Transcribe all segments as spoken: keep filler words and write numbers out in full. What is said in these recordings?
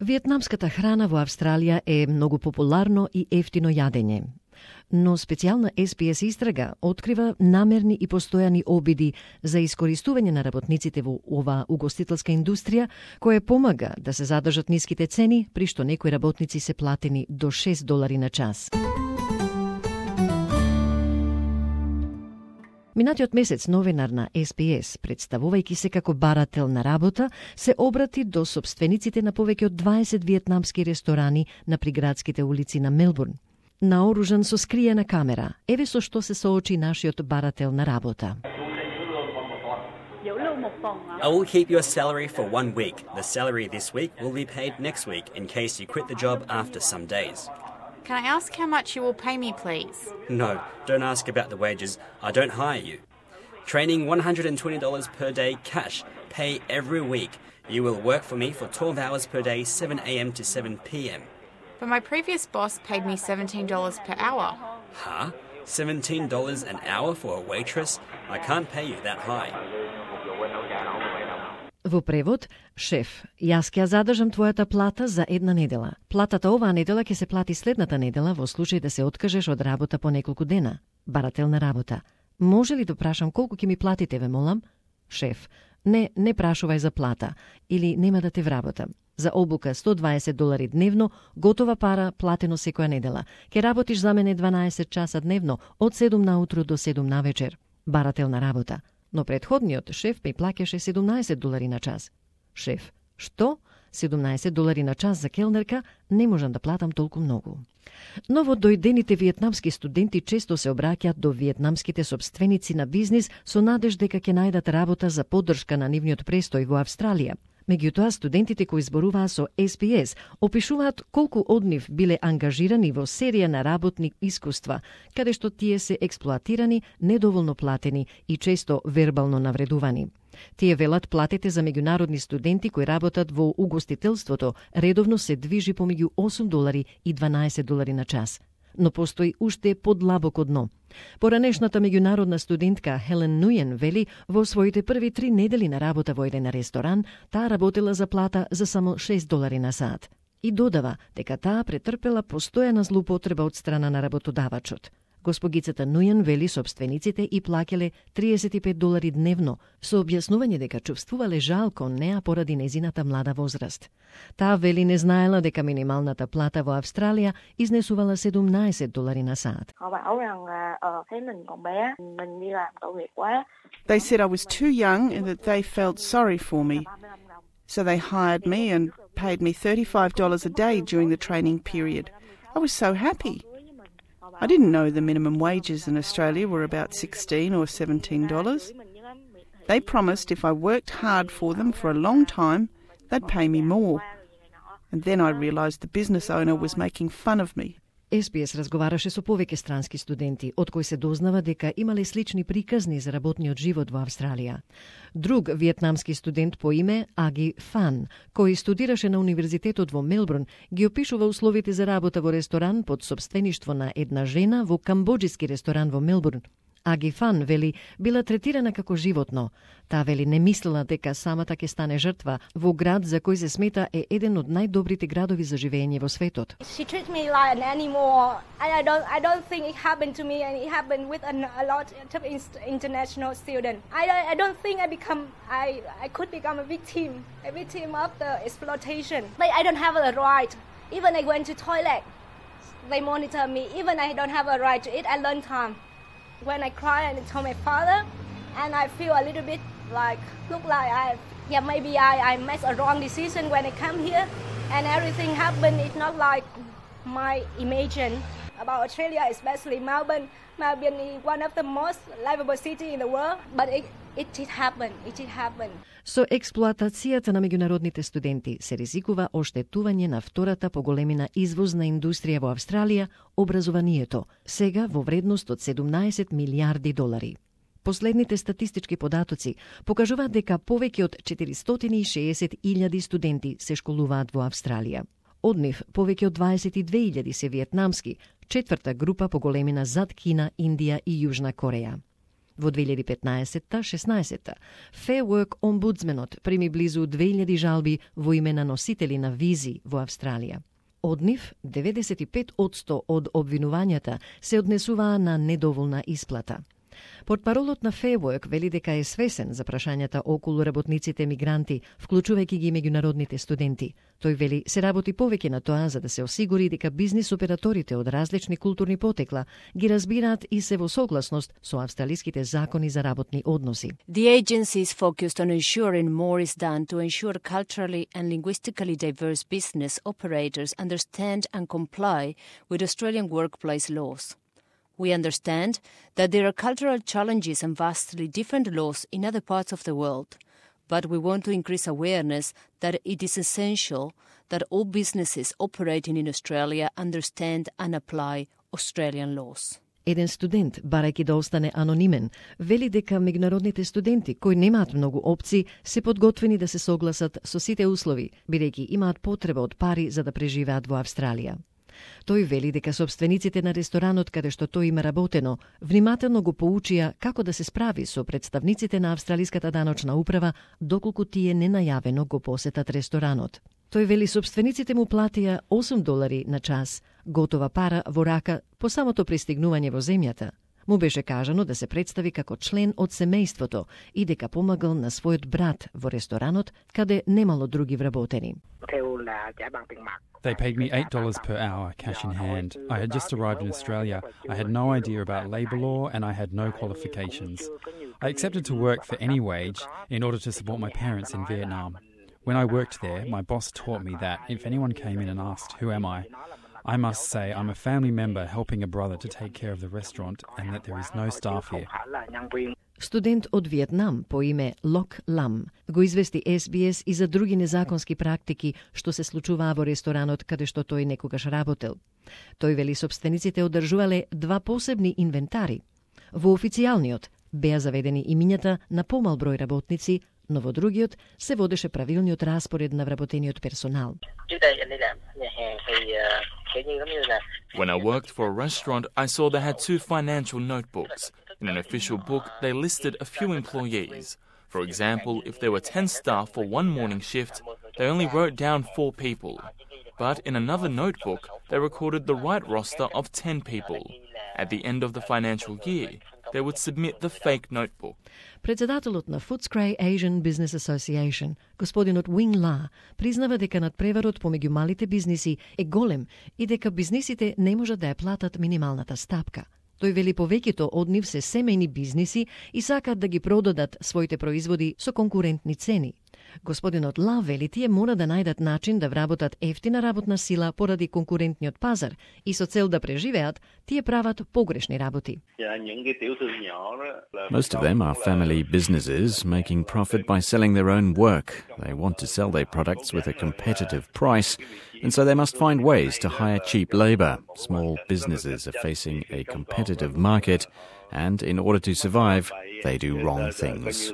Виетнамската храна во Австралија е многу популарно и ефтино јадење. Но специјална Ес Би Ес истрага открива намерни и постојани обиди за искористување на работниците во ова угостителска индустрија, која помага да се задржат ниските цени, при што некои работници се платени до шест долари на час. Минатиот месец новинар на Ес Би Ес, представувајќи се како барател на работа, се обрати до сопствениците на повеќе од дваесет виетнамски ресторани на приградските улици на Мелбурн. Наоружан со скриена камера, еве со што се соочи нашиот барател на работа. I will keep your salary for one week. The salary this week will be paid next week in case you quit the job after some days. Can I ask how much you will pay me, please? No, don't ask about the wages. I don't hire you. Training one hundred twenty dollars per day cash, pay every week. You will work for me for twelve hours per day, seven a m to seven p m But my previous boss paid me seventeen dollars per hour. Huh? seventeen dollars an hour for a waitress? I can't pay you that high. Во превод, шеф, јас ќе ја задржам твојата плата за една недела. Платата оваа недела ќе се плати следната недела во случај да се откажеш од работа по неколку дена. Барател на работа. Може ли да прашам колку ќе ми платите, ве молам? Шеф, не, не прашувај за плата, или нема да те вработам. За обука сто дваесет долари дневно, готова пара, платено секоја недела. Ке работиш за мене дванаесет часа дневно, од седум наутро до седум навечер. Барател на работа. Но предходниот шеф ми плаќаше седумнаесет долари на час. Шеф, што? седумнаесет долари на час за келнерка? Не можам да платам толку многу. Новодојдените виетнамски студенти често се обраќаат до виетнамските сопственици на бизнис со надеж дека ќе најдат работа за поддршка на нивниот престој во Австралија. Меѓутоа, студентите кои зборуваа со Ес Би Ес опишуваат колку од нив биле ангажирани во серија на работни искуства, каде што тие се експлоатирани, недоволно платени и често вербално навредувани. Тие велат платите за меѓународни студенти кои работат во угостителството редовно се движи помеѓу осум долари и дванаесет долари на час. Но постои уште подлабоко дно. Поранешната меѓународна студентка Хелен Нујен вели во своите први три недели на работа во еден ресторан, таа работела за плата за само шест долари на сат. И додава дека таа претрпела постојана злоупотреба од страна на работодавачот. Госпогицата Нујен вели сопствениците и плаќале триесет и пет долари дневно, со објаснување дека чувствувале жал кон неа поради незината млада возраст. Таа вели не знаела дека минималната плата во Австралија изнесувала седумнаесет долари на сат. They said I was too young and that they felt sorry for me. So they hired me and paid me thirty-five dollars a day during the training period. I was so happy. I didn't know the minimum wages in Australia were about sixteen or seventeen dollars. They promised if I worked hard for them for a long time, they'd pay me more. And then I realised the business owner was making fun of me. Ес Би Ес разговараше со повеќе странски студенти, од кои се дознава дека имале слични приказни за работниот живот во Австралија. Друг виетнамски студент по име Аги Фан, кој студираше на Универзитетот во Мелбурн, ги опишува условите за работа во ресторан под сопствеништво на една жена во камбоџиски ресторан во Мелбурн. Аги Фан вели била третирана како животно. Таа вели не мислела дека самата ќе стане жртва во град за кој се смета е еден од најдобрите градови за живење во светот. She treats me like an animal. I don't I don't think it happened to me, and it happened with a, a lot of international students. I I don't think I become I I could become a victim, a victim of the exploitation. Like I don't have a right. Even I went to toilet, they monitor me. Even I don't have a right to eat at lunchtime. When I cry and I tell my father, and I feel a little bit like, look like I, yeah, maybe I, I made a wrong decision when I come here, and everything happened. It's not like my imagine about Australia, especially Melbourne. Melbourne is one of the most livable cities in the world, but it, it did happen. It did happen. Со експлоатацијата на меѓународните студенти се ризикува оштетување на втората поголемина извозна индустрија во Австралија, образованието, сега во вредност од седумнаесет милијарди долари. Последните статистички податоци покажуваат дека повеќе од четиристотини и шеесет илјади студенти се школуваат во Австралија. Од нив повеќе од дваесет и две илјади се виетнамски, четврта група по големина зад Кина, Индија и Јужна Кореја. Во две илјади петнаесетта шеснаесетта Fair Work омбудсменот прими близу две илјади жалби во име на носители на визи во Австралија. Од нив, деветдесет и пет одсто од обвинувањата се однесуваа на недоволна исплата. Портпаролот на Fair Work вели дека е свесен за прашањата околу работниците мигранти, вклучувајќи ги меѓународните студенти. Тој вели се работи повеќе на тоа за да се осигури дека бизнис операторите од различни културни потекла ги разбираат и се во согласност со австралиските закони за работни односи. The agency is focused on ensuring more is done to ensure culturally and linguistically diverse business operators understand and comply with Australian workplace laws. We understand that there are cultural challenges and vastly different laws in other parts of the world, but we want to increase awareness that it is essential that all businesses operating in Australia understand and apply Australian laws. Еден студент, барајќи да остане анонимен, вели дека меѓународните студенти кои немаат многу опции се подготвени да се согласат со сите услови, бидејќи имаат потреба од пари за да преживеат во Австралија. Тој вели дека собствениците на ресторанот каде што тој има работено, внимателно го поучија како да се справи со представниците на австралиската даночна управа доколку тие ненајавено го посетат ресторанот. Тој вели собствениците му платија осум долари на час, готова пара во рака по самото пристигнување во земјата. Му беше кажано да се представи како член од семејството и дека помагал на својот брат во ресторанот каде немало други вработени. They paid me eight dollars per hour, cash in hand. I had just arrived in Australia. I had no idea about labour law and I had no qualifications. I accepted to work for any wage in order to support my parents in Vietnam. When I worked there, my boss taught me that if anyone came in and asked, "Who am I?" I must say I'm a family member helping a brother to take care of the restaurant and that there is no staff here. Студент од Виетнам по име Лок Лам го извести Ес Би Ес и за други незаконски практики што се случуваа во ресторанот каде што тој некогаш работел. Тој вели собствениците одржувале два посебни инвентари. Во официјалниот беа заведени имињата на помал број работници, но во другиот се водеше правилниот распоред на вработениот персонал. When I worked for a restaurant, I saw they had two financial notebooks. In an official book, they listed a few employees. For example, if there were ten staff for one morning shift, they only wrote down four people. But in another notebook, they recorded the right roster of ten people. At the end of the financial year, they would submit the fake notebook. Председателот на Footscray Asian Business Association, господинот Wing La, признава дека надпреварот помеѓу малите бизниси е голем и дека бизнисите не можат да ја платат минималната стапка. Тој вели повеќето од нив се семејни бизниси и сакаат да ги продадат своите производи со конкурентни цени. Господинот Ла вели тие мора да најдат начин да вработат ефтина работна сила поради конкурентниот пазар и со цел да преживеат, тие прават погрешни работи. Most of them are family businesses making profit by selling their own work. They want to sell their products with a competitive price, and so they must find ways to hire cheap labor. Small businesses are facing a competitive market, and in order to survive, they do wrong things.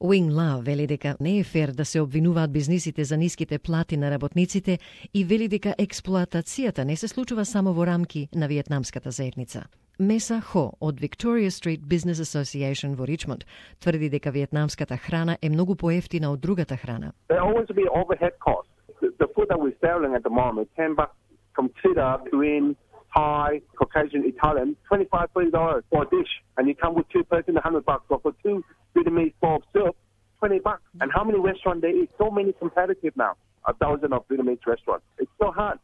Wing La вели дека не е фер да се обвинуваат бизнисите за ниските плати на работниците и вели дека експлоатацијата не се случува само во рамки на виетнамската заедница. Меса Хо од Victoria Street Business Association во Ричмонд тврди дека виетнамската храна е многу поевтина од другата храна. There always be overhead costs. The, the food that we're selling at the moment, ten bucks consider between Thai, Caucasian, Italian, twenty-five, thirty dollars for a dish, and you come with two person, a hundred bucks. But for two Vietnamese bowl of soup, twenty bucks. And how many restaurants there is? So many competitive now. A thousand of Vietnamese restaurants. It's so hard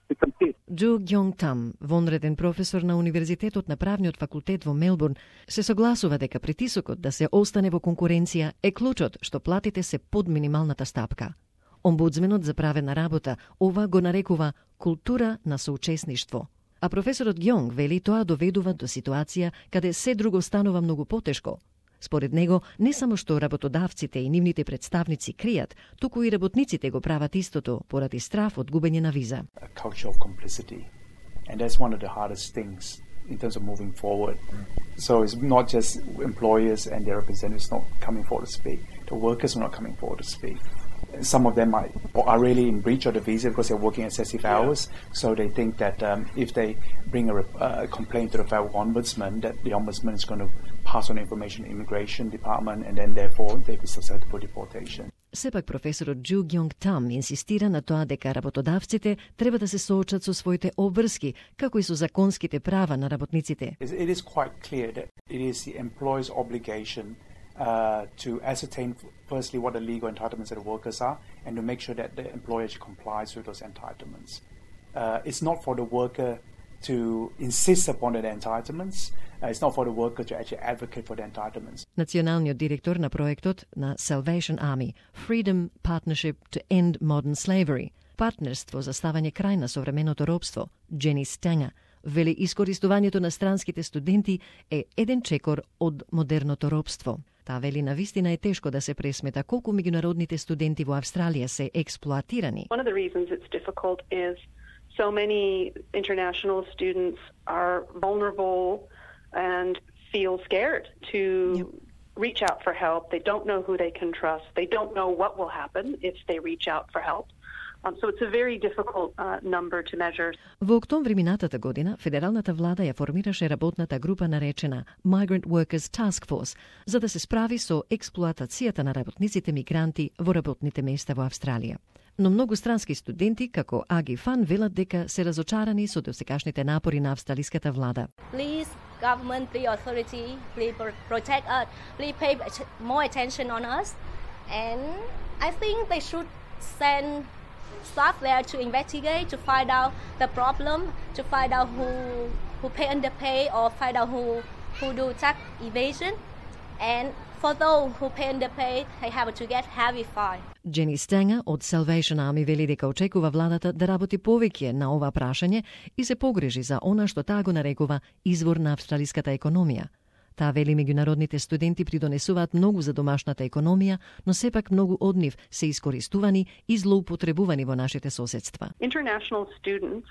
to compete. Джу Гјонг Там, вонреден професор на Универзитетот на правниот факултет во Мелбурн, се согласува дека притисокот да се остане во конкуренција е клучот што платите се под минималната стапка. Омбудсменот за правена работа ова го нарекува култура на соучесништво. А професорот Гјонг вели тоа доведува до ситуација каде се друго станува многу потешко. Според него, не само што работодавците и нивните представници кријат, туку и работниците го прават истото поради страф од губење на виза. A culture of complicity. And that's one of the hardest things in terms of moving forward. So it's not just employers and their representatives not coming forward to speak. The workers are not coming forward to speak. Some of them are, are really in breach of the visa because they're working excessive hours. Yeah. So they think that um, if they bring a uh, complaint to the federal ombudsman, that the ombudsman is going to pass on information to immigration department, and then therefore they be susceptible to deportation. Сепак професорот Джу Гјонг Там инсистира на тоа дека работодавците треба да се соочат со своите обврски, како и со законските права на работниците. It is quite clear that it is the employer's obligation uh, to ascertain firstly what the legal entitlements of the workers are, and to make sure that the employer complies with those entitlements. Uh, it's not for the worker to insist upon the entitlements. Uh, it's not for the worker to actually advocate for the entitlements. Националниот директор на проектот на Salvation Army, Freedom Partnership to End Modern Slavery, партнерство за ставање крај на современото робство, Джени Стенга, вели искористувањето на странските студенти е еден чекор од модерното робство. Таа вели навистина е тешко да се пресмета колку меѓународните студенти во Австралија се експлоатирани. One of the reasons it's difficult is so many international students are vulnerable and feel scared to yep. reach out for help. They don't know who they can trust. They don't know what will happen if they reach out for help. Um, so it's a very difficult uh, number to measure. Во октомври минатата година, федералната влада ја формираше работната група наречена Migrant Workers Task Force, за да се справи со експлоатацијата на работниците мигранти во работните места во Австралија. Но многу странски студенти, како Аги Фан, велат дека се разочарани со досегашните напори на австралиската влада. Please, government, please, authority, please protect us, please pay more attention on us. And I think they should send staff there to investigate, to find out the problem, to find out who who pay underpay or find out who who do tax evasion. And for those who pay underpay, they have to get heavy fine. Джени Стенга од Salvation Army вели дека очекува владата да работи повеќе на ова прашање и се погрижи за она што таа го нарекува извор на австралиската економија. Таа вели меѓународните студенти придонесуваат многу за домашната економија, но сепак многу од нив се искористувани и злоупотребувани во нашите соседства. International students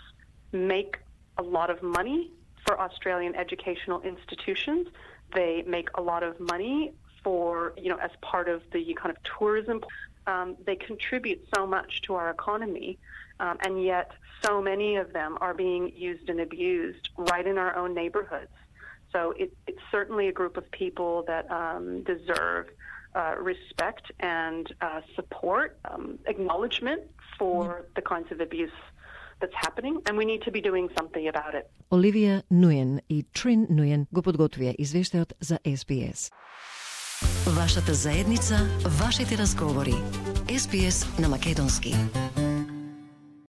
make a lot of money for Australian educational institutions. They make a lot of money for, you know, as part of the kind of tourism. Um, they contribute so much to our economy, um, and yet so many of them are being used and abused right in our own neighborhoods. So it, it's certainly a group of people that um, deserve uh, respect and uh, support, um, acknowledgement for yeah. the kinds of abuse that's happening, and we need to be doing something about it. Оливија Нуен и Трин Нуен го подготвија извештајот за Ес Би Ес. Вашата заедница, вашите разговори. Ес Би Ес на македонски.